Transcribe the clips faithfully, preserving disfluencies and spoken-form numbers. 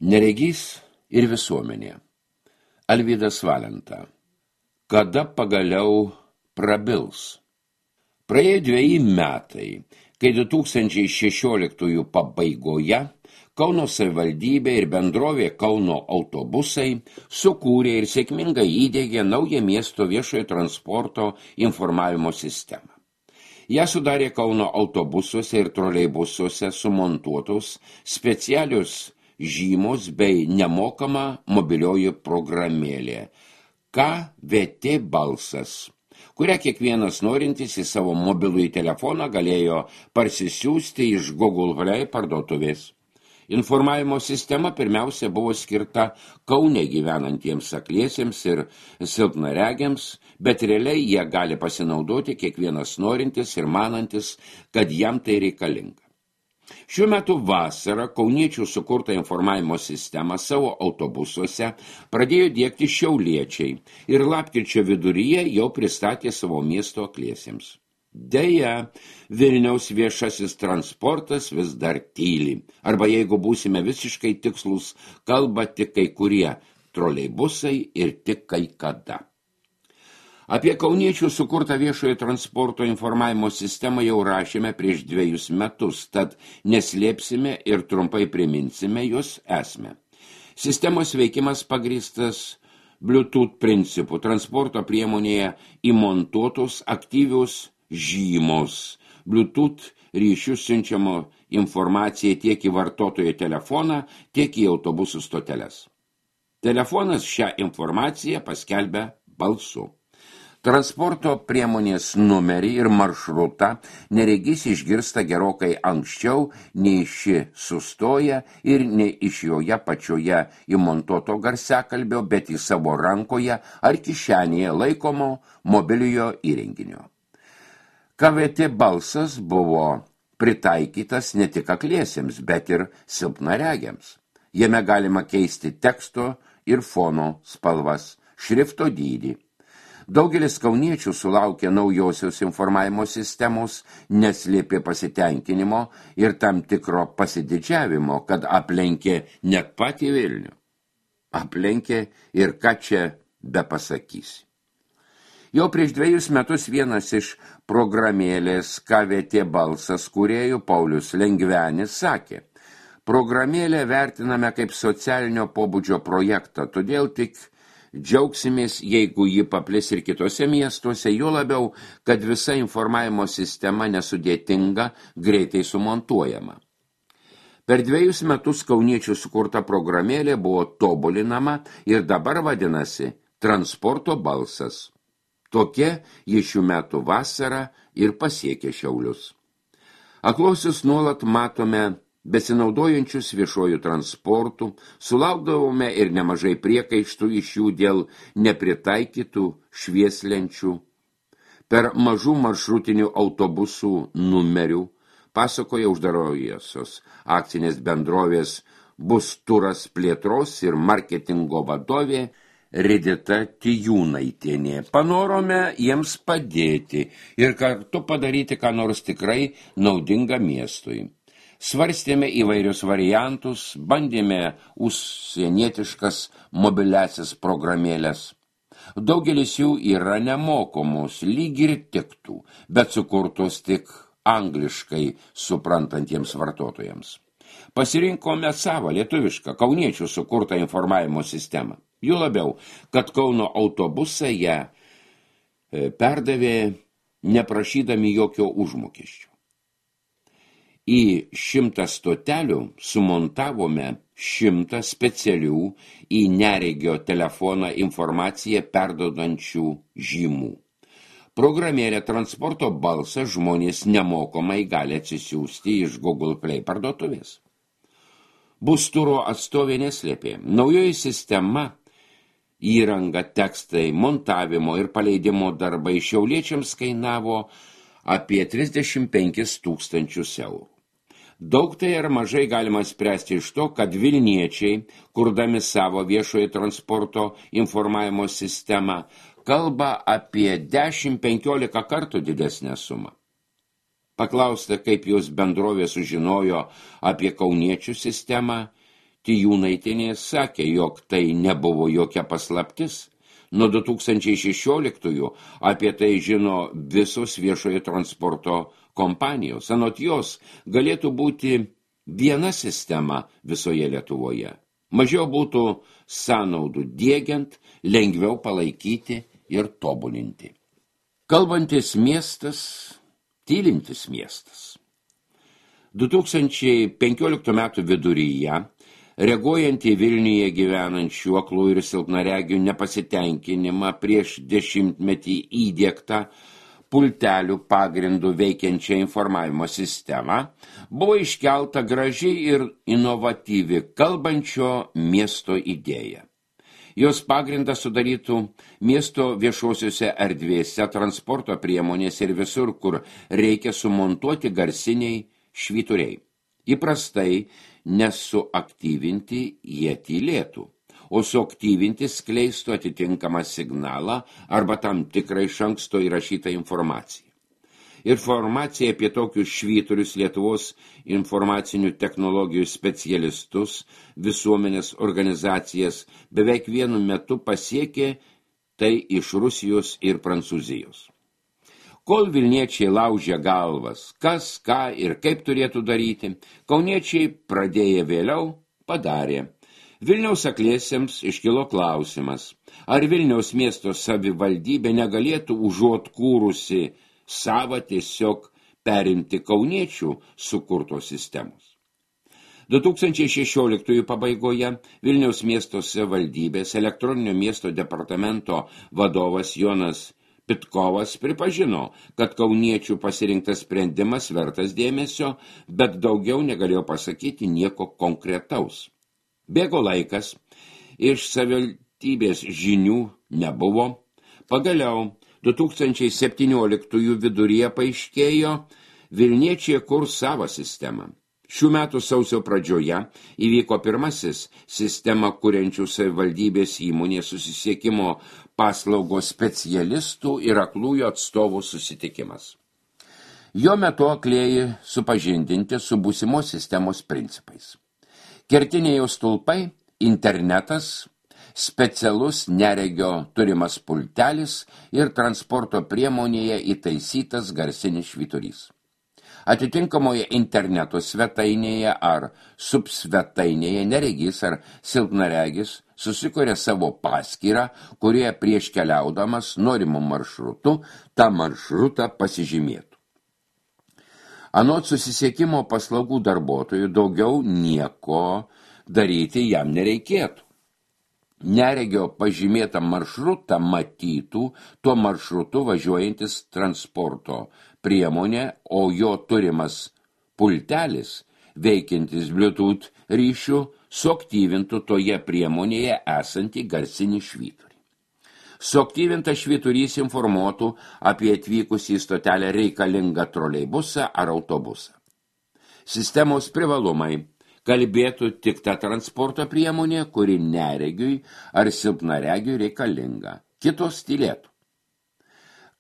Neregys ir visuomenė. Alvydas Valenta. Kada pagaliau prabils? Praėjo dveji metai, kai du tūkstančiai šešioliktųjų pabaigoje Kauno savivaldybė ir bendrovė Kauno autobusai sukūrė ir sėkmingai įdiegė naują miesto viešojo transporto informavimo sistemą. Ją sudarė Kauno autobusuose ir troleibusuose sumontuotos specialios žymos bei nemokama mobilioji programėlė K V T balsas, kurią kiekvienas norintis į savo mobilųjį telefoną galėjo parsisiųsti iš Google Play parduotuvės. Informavimo sistema pirmiausia buvo skirta Kaune gyvenantiems akliesiems ir silpnaregiams, bet realiai jie gali pasinaudoti kiekvienas norintis ir manantis, kad jam tai reikalinga. Šiuo metu vasarą kauniečių sukurtą informavimo sistemą savo autobusuose pradėjo diegti šiauliečiai ir lapkričio viduryje jau pristatė savo miesto akliesiems. Deja, Vilniaus viešasis transportas vis dar tyli, arba jeigu būsime visiškai tikslus, kalba tik kai kurie troleibusai ir tik kai kada. Apie kauniečių sukurtą viešojo transporto informavimo sistemą jau rašėme prieš dviejus metus, tad neslėpsime ir trumpai priminsime jos esmę. Sistemos veikimas pagrįstas Bluetooth principų. Transporto priemonėje įmontuotos aktyvios žymos. Bluetooth ryšių siunčiamo informaciją tiek į vartotojo telefoną, tiek į autobusų stoteles. Telefonas šią informaciją paskelbia balsu. Transporto priemonės numerį ir maršrutą neregys išgirsta gerokai anksčiau, nei ši sustoja ir nei iš joje pačioje įmontuoto garsiakalbio, bet į savo rankoje ar kišenėje laikomo mobiliojo įrenginio. K V T balsas buvo pritaikytas ne tik akliesiems, bet ir silpnaregiams. Jame galima keisti teksto ir fono spalvas, šrifto dydį. Daugelis kauniečių sulaukė naujosios informavimo sistemos, neslėpė pasitenkinimo ir tam tikro pasididžiavimo, kad aplenkė net patį Vilnių. Aplenkė ir ką čia bepasakysi. Jau prieš dviejus metus vienas iš programėlės K V T balsas kūrėjų Paulius Lengvenis sakė: programėlę vertiname kaip socialinio pobūdžio projektą, todėl tik džiaugsimės, jeigu ji paplis ir kitose miestuose, juo labiau, kad visa informavimo sistema nesudėtinga, greitai sumontuojama. Per dviejus metus kauniečių sukurta programėlė buvo tobulinama ir dabar vadinasi Transporto balsas. Tokia ji šių metų vasarą ir pasiekė Šiaulius. Akluosius nuolat matome besinaudojančius viešojų transportų, sulaukdavome ir nemažai priekaištų iš jų dėl nepritaikytų švieslenčių. Per mažų maršrutinių autobusų numerių, pasakoja uždarojosios akcinės bendrovės Bus turas plėtros ir marketingo vadovė Ridita Tijūnaitienė. Panorome jiems padėti ir kartu padaryti ką nors tikrai naudinga miestui. Svarstėme įvairius variantus, bandėme užsienietiškas mobiliasis programėlės. Daugelis jų yra nemokamos, lyg ir tiktų, bet sukurtos tik angliškai suprantantiems vartotojams. Pasirinkome savo lietuvišką kauniečių sukurtą informavimo sistemą. Jų labiau, kad Kauno autobusai ją perdavė neprašydami jokio užmokesčio. Į šimtą stotelių sumontavome šimtą specialių į neregio telefoną informaciją perduodančių žymų. Programėlė Transporto balsas žmonės nemokamai gali atsisiųsti iš Google Play parduotuvės. Bus turo atstovė neslėpė. Naujoji sistema, įranga, tekstai, montavimo ir paleidimo darbai šiauliečiams kainavo apie trisdešimt penkis tūkstančius eurų. Daug tai ar mažai galima spręsti iš to, kad vilniečiai, kurdami savo viešojo transporto informavimo sistemą, kalba apie dešimt penkiolika kartų didesnę sumą. Paklausta, kaip jos bendrovė sužinojo apie kauniečių sistemą, Tijūnaitienė sakė, jog tai nebuvo jokia paslaptis. Nuo du tūkstančiai šešioliktųjų apie tai žino visos viešojo transporto kompanijos. Anot jos galėtų būti viena sistema visoje Lietuvoje. Mažiau būtų sąnaudų diegiant, lengviau palaikyti ir tobulinti. Kalbantis miestas, tylintis miestas. du tūkstančiai penkioliktų metų viduryje, reaguojant į Vilniuje gyvenančių aklų ir silpnaregių nepasitenkinimą prieš dešimtmetį įdiegtą pultelių pagrindų veikiančią informavimo sistemą, buvo iškelta graži ir inovatyvi kalbančio miesto idėja. Jos pagrindą sudarytų miesto viešosiuose erdvėse, transporto priemonės ir visur, kur reikia sumontuoti garsiniai švyturiai. Įprastai nesuaktyvinti jie tylėtų, o suaktyvinti skleistų atitinkamą signalą arba tam tikrą iš anksto įrašytą informaciją. Informacija apie tokius švyturius Lietuvos informacinių technologijų specialistus, visuomenės organizacijas beveik vienu metu pasiekė tai iš Rusijos ir Prancūzijos. Kol Vilniečiai laužė galvas, kas, ką ir kaip turėtų daryti, kauniečiai pradėję vėliau padarė. Vilniaus akliesiems iškilo klausimas, ar Vilniaus miesto savivaldybė negalėtų užuot kūrusi savo tiesiog perimti kauniečių sukurtos sistemos. du tūkstančiai šešioliktųjų pabaigoje Vilniaus miesto savivaldybės elektroninio miesto departamento vadovas Jonas Pitkovas pripažino, kad kauniečių pasirinktas sprendimas vertas dėmesio, bet daugiau negalėjo pasakyti nieko konkretaus. Bėgo laikas, iš savivaldybės žinių nebuvo. Pagaliau du tūkstančiai septynioliktųjų viduryje paaiškėjo, Vilniečiai kurs savo sistemą. Šių metų sausio pradžioje įvyko pirmasis sistemą kuriančių savivaldybės įmonės susisiekimo paslaugos specialistų ir aklųjų atstovų susitikimas. Jo metu aklieji supažindinti su būsimos sistemos principais. Kertiniai jos stulpai, internetas, specialus neregio turimas pultelis ir transporto priemonėje įtaisytas garsinis švyturys. Atitinkamoje interneto svetainėje ar subsvetainėje neregys ar silpnaregis susikuria savo paskyrą, kurie prieš keliaudamas norimu maršrutu tą maršrutą pasižymėtų. Anot susisiekimo paslaugų darbuotojų daugiau nieko daryti jam nereikėtų. Neregio pažymėtą maršrutą matytų tuo maršrutu važiuojantis transporto priemonė, o jo turimas pultelis, veikiantis Bluetooth ryšių, suaktyvintų toje priemonėje esantį garsinį švyturį. Suaktyvintas švyturys informuotų apie atvykusį į stotelę reikalingą troleibusą ar autobusą. Sistemos privalumai kalbėtų tik ta transporto priemonė, kuri neregiui ar silpnaregiui reikalinga. Kitos tylėtų.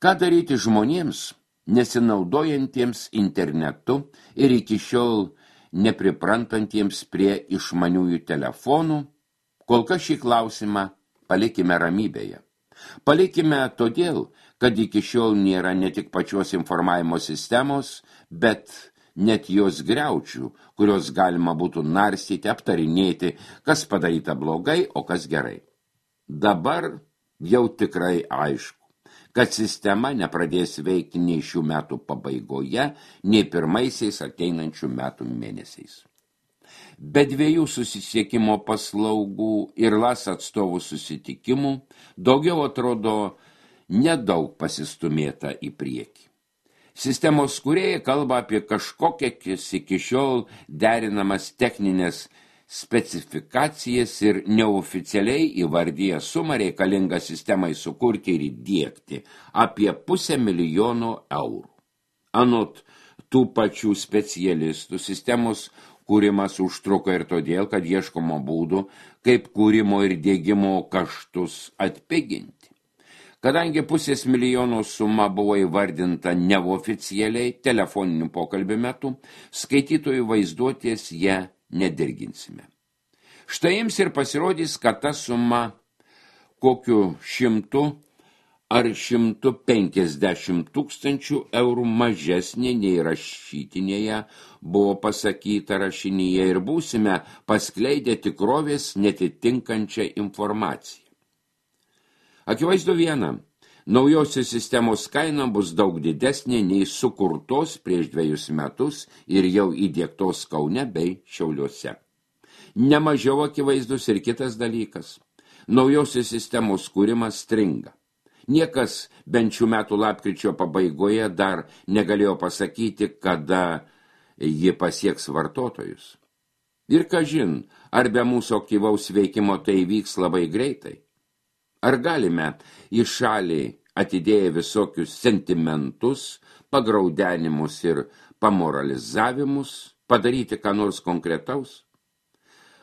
Ką daryti žmonėms, nesinaudojantiems internetu ir iki šiol nepriprantantiems prie išmaniųjų telefonų? Kol kas šį klausimą palikime ramybėje. Palikime todėl, kad iki šiol nėra ne tik pačios informavimo sistemos, bet net jos griaučių, kurios galima būtų narstyti, aptarinėti, kas padaryta blogai, o kas gerai. Dabar jau tikrai aišku, kad sistema nepradės veikti nei šių metų pabaigoje, nei pirmaisiais ateinančių metų mėnesiais. Be dviejų susisiekimo paslaugų ir LAS atstovų susitikimų daugiau atrodo nedaug pasistumėta į priekį. Sistemos kūrėjai kalba apie kažkokias iki šiol derinamas techninės specifikacijas ir neoficialiai įvardyja sumą reikalingą sistemai sukurti ir įdiegti apie pusę milijono eurų. Anot tų pačių specialistų sistemos kūrimas užtruko ir todėl, kad ieškoma būdų, kaip kūrimo ir diegimo kaštus atpiginti. Kadangi pusės milijono suma buvo įvardinta neoficialiai telefoninių pokalbių metu, skaitytojų vaizduotės ją nedirginsime. Štai jums ir pasirodys, kad ta suma kokiu šimtu ar šimtu penkiasdešimt tūkstančių eurų mažesnė nei rašytinėje buvo pasakyta rašinyje ir būsime paskleidę tikrovės netitinkančią informaciją. Akivaizdu viena, naujosios sistemos kaina bus daug didesnė nei sukurtos prieš dvejus metus ir jau įdiegtos Kaune bei Šiauliuose. Nemažiau akivaizdus ir kitas dalykas. Naujosios sistemos kūrimas stringa. Niekas bent šių metų lapkričio pabaigoje dar negalėjo pasakyti, kada ji pasieks vartotojus. Ir kažin, ar be mūsų aktyvaus veikimo tai vyks labai greitai? Ar galime į šalį atidėję visokius sentimentus, pagraudenimus ir pamoralizavimus padaryti ką nors konkretaus?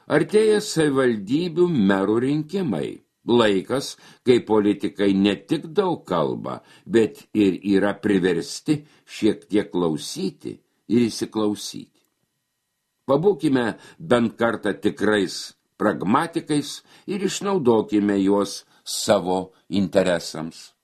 Artėja savivaldybių merų rinkimai. Laikas, kai politikai ne tik daug kalba, bet ir yra priversti šiek tiek klausyti ir įsiklausyti. Pabūkime bent kartą tikrais pragmatikais ir išnaudokime juos savo interesams.